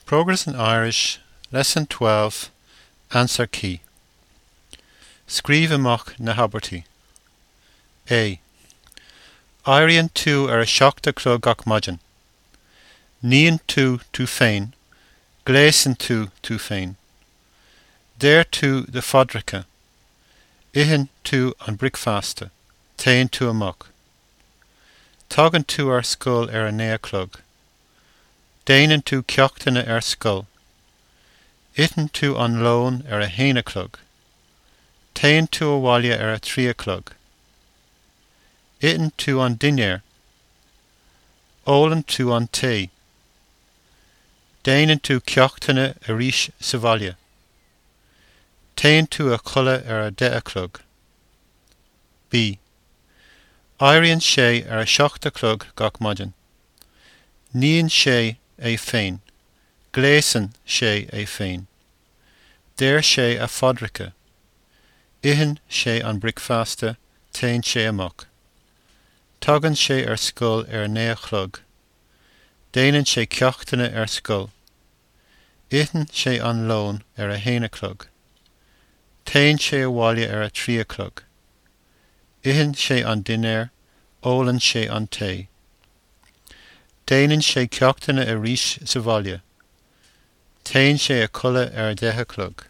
Progress in Irish, Lesson 12, Answer Key. Scríobh amach na habairtí. A. Éiríonn tú ar a 7 a chlog gach maidin. Níonn tú tú féin. Gléasann tú tú féin. Deir tú do phaidreacha. Itheann tú an bricfeasta. Téann tú amach. Tagann tú ar scoil ar a 9 a chlog. Déanann tú ceachtanna ar scoil. Itheann tú an lón ar a haon a chlog. Téann tú abhaile ar a 3 a chlog. Itheann tú an dinnéar. Ólann tú an tae. Déanann tú ceachtanna arís sa bhaile. Téann tú a chodladh ar a 10 a chlog. B. Éiríonn sé ar a 7 a chlog gach maidin. Níonn sé é féin. Gléasann sé é féin. Deir sé a phaidreacha. Itheann sé an bricfeasta, téann sé amach. Tagann sé ar scoil ar a 9 a chlog. Déanann sé ceachtanna ar scoil. Itheann sé an lón ar a haon a chlog. Téann sé abhaile ar a 3 a chlog. Itheann sé an dinnéar, ólann sé an tae. Déanann sé ceachtanna arís sa bhaile. Téann sé a chodladh ar a 10 a chlog.